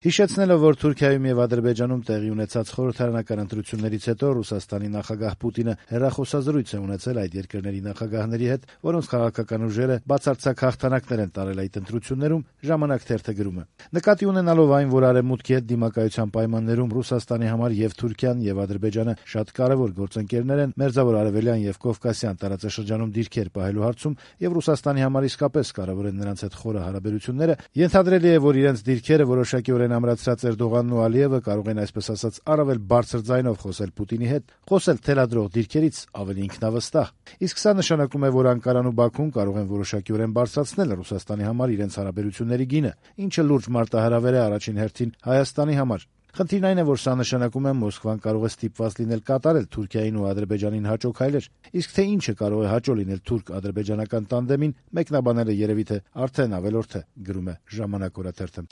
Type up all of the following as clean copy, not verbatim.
Հիշեցնելով, որ Թուրքիայում եւ Ադրբեջանում տեղի ունեցած խորհրդարանական ընտրություններից հետո Ռուսաստանի նախագահ Պուտինը հեռախոսազրույց է ունեցել այդ երկրների նախագահների հետ, որոնց քաղաքական ուժերը բացարձակ հաղթանակներ են տարել այդ ընտրություններում, «Ժամանակ» թերթը գրում է. նկատի ունենալով այն, որ Արևմուտքի հետ դիմակայության պայմաններում Ռուսաստանի համար եւ Թուրքիան եւ Ադրբեջանը շատ կարեւոր գործընկերներ են Մերձավոր Արևելյան եւ Կովկասյան տարածաշրջանում դիրքեր պահելու հարցում եւ Ռուսաստանի համար իսկապես կարեւոր են նրանց հետ խորը հարաբերությունները, ենթադրելի է, որ իրենց դիրքերը որոշակիորեն ամրացրած Էրդողանն ու Ալիևը կարող են այսպես ասած առավել բարձր ձայնով խոսել Պուտինի հետ, խոսել թելադրող դիրքերից ավելի ինքնավստահ։ Իսկ սա նշանակում է, որ Անկարան ու Բաքուն կարող են որոշակիորեն բարձրացնել Ռուսաստանի համար իրենց հարաբերությունների գինը, ինչը լուրջ մարտահրավեր է առաջին հերթին Հայաստանի համար։ Խնդիրն այն է, որ սա նշանակում է Մոսկվան կարող է ստիպված լինել կատարել Թուրքիային ու Ադրբեջանին հաճո քայլեր, իսկ թե ինչը կարող է հաճո լինել թուրք-ադրբեջանական տանդեմին, մեկնաբաները երևի թե արդեն ավելորդ է, գրում է «Ժամանակ» օրաթերթը։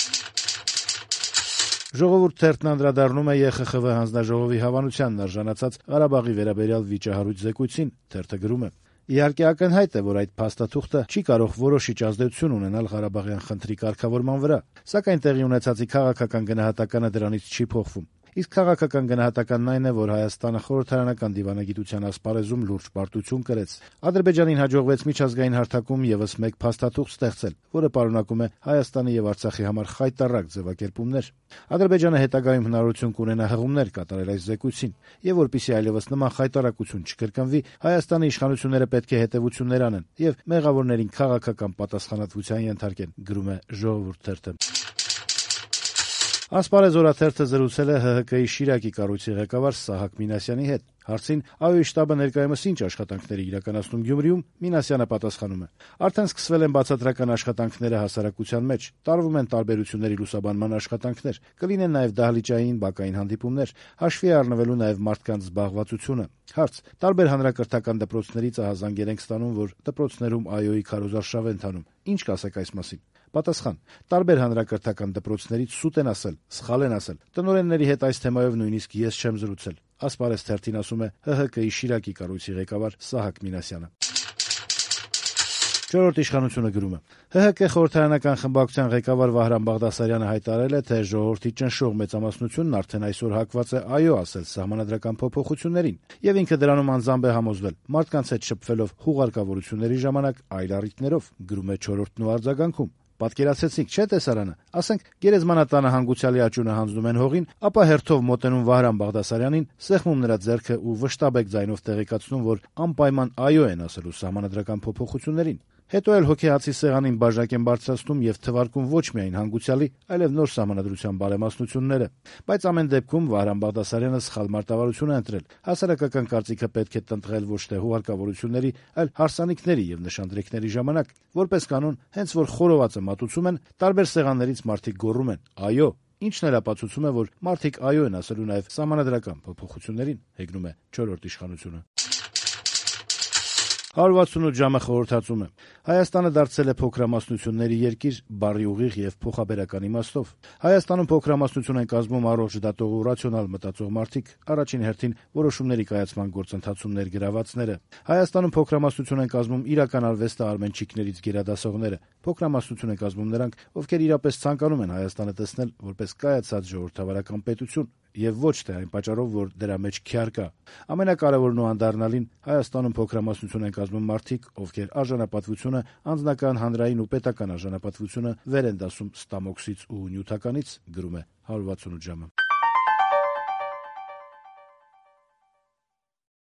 «Ժողովուրդ» թերթն անդրադառնում է ԵԽԽՎ հանձնաժողովի հավանությանն արժանացած Ղարաբաղի վերաբերյալ վիճահարույց զեկույցին, թերթը գրում է. Իհարկե ակնհայտ է, որ այդ փաստաթուղթը չի կարող որոշիչ ազդեցություն ունենալ Ղարաբաղյան խնդրի կարգավորման վրա, սակայն տեղի ունեցածի քաղաքական գնահատականը դրանից չի փոխվում։ Իսկ քաղաքական գնահատականն այն է, որ Հայաստանը խորհրդարանական դիվանագիտության ասպարեզում լուրջ պարտություն կրեց։ Ադրբեջանին հաջողվեց միջազգային հարթակում եւս մեկ փաստաթուղթ ստեղծել, որը պարունակում է Հայաստանի եւ Արցախի համար խայտառակ ձևակերպումներ։ Ադրբեջանը հետագայում հնարավորություն կունենա հղումներ կատարել այս զեկույցին, եւ որպեսզի այլևս նման խայտառակություն չկրկնվի, Հայաստանի իշխանությունները պետք է հետեւություններ անեն եւ մեղավորներին քաղաքական պատասխանատվության ենթարկեն, գրում է «Ժողովուրդ» թերթը։ «Ասպարեզ» օրաթերթը զրուցել է ՀՀԿ-ի Շիրակի կառույցի ղեկավար Սահակ Մինասյանի հետ։ Հարցին ԱՅՈ-ի շտաբը ներկայումս ինչ աշխատանքներ է իրականացնում Գյումրիում, Մինասյանը պատասխանում է. արդեն սկսվել են բացատրական աշխատանքները հասարակության մեջ, տարվում են տարբերությունների լուսաբանման աշխատանքներ, կլինեն նաև դահլիճային, բակային հանդիպումներ, հաշվի է առնվելու նաև մարդկանց զբաղվածությունը։ Հարց. տարբեր հանրակրթական դպրոցներից ահազանգեր ենք ստանում, որ դպրոցներում ԱՅՈ-ի քարոզարշավ է ընթանում։ Ինչ կասեք այս մասին։ Պատասխան. տարբեր հանրակրթական դպրոցներից սուտ են ասել, սխալ են ասել։ Տնօրենների հետ այս թեմայով նույնիսկ ես չեմ զրուցել։ Ասպարեզ թերթին ասում է ՀՀԿ-ի Շիրակի կառույցի ղեկավար Սահակ Մինասյանը։ «Չորրորդ իշխանությունը» գրում է. ՀՀԿ խորհրդարանական խմբակցության ղեկավար Վահրամ Բաղդասարյանը հայտարարել է, թե ժողովրդի ճնշող մեծամասնությունն արդեն այսօր հակված է ԱՅՈ ասել սահմանադրական փոփոխություններին, եւ ինքը դրանում անձամբ է համոզվել, մարդկանց հետ շփվելով հուղարկավորությունների ժամանակ այլ առիթներով, գրում է «Չորրորդն» ու արձագանքում. Պատկերացեցիք, չէ՞ տեսարանը, ասենք գերեզմանատանը հանգուցյալի աճյունը հանձնում են հողին, ապա հերթով մոտենում Վահրամ Բաղդասարյանին, սեղմում նրա ձեռքը ու վշտաբեկ ձայնով տեղեկացնում, որ անպայման ԱՅՈ են ասելու սահմանադրական փոփոխություններին։ Հետո էլ հոգեհացի սեղանին բաժակ են բարձրացնում եւ թվարկում ոչ միայն հանգուցյալի, այլև նոր սահմանադրության բարեմասնությունները։ Բայց ամեն դեպքում Վահրամ Բաղդասարյանը սխալ մարտավարություն է ընտրել։ Հասարակական կարծիքը պետք է տնտղել ոչ թե հուղարկավորությունների, այլ հարսանիքների եւ նշանդրեքների ժամանակ։ Որպես կանոն, հենց որ խորովածը մատուցում են, տարբեր սեղաններից մարդիկ գոռում են. «ԱՅՈ», ինչն էլ ապացուցում է, որ մարդիկ ԱՅՈ են ասելու նաեւ սահմանադրական փոփոխություններին, հեգնում է «Չորրորդ իշխանությունը»։ 168 ժամը խորհրդածում է. Հայաստանը դարձել է փոքրամասնությունների երկիր բառի ուղիղ եւ փոխաբերական իմաստով։ Հայաստանում փոքրամասնություն են կազմում առողջ դատող ու ռացիոնալ մտածող մարդիկ, առաջին հերթին որոշումների կայացման գործընթացում ներգրավվածները։ Հայաստանում փոքրամասնություն են կազմում իրական արվեստը արմենչիկներից գերադասողները։ Փոքրամասնություն են կազմում նրանք, ովքեր իրապես ցանկանում են Հայաստանը տեսնել որպես կայացած ժողովրդավարական պետություն, եւ ոչ թե այն պատճառով, որ դրա մեջ քյար կա։ Ամենակարևորն ու անդառնալին Հայաստանում փոքրամասնություն են կազմում մարդիկ, ովքեր արժանապատվությունը, անձնական, հանրային ու պետական արժանապատվությունը վեր են դասում ստամոքսից ու նյութականից, գրում է 168 ժամը։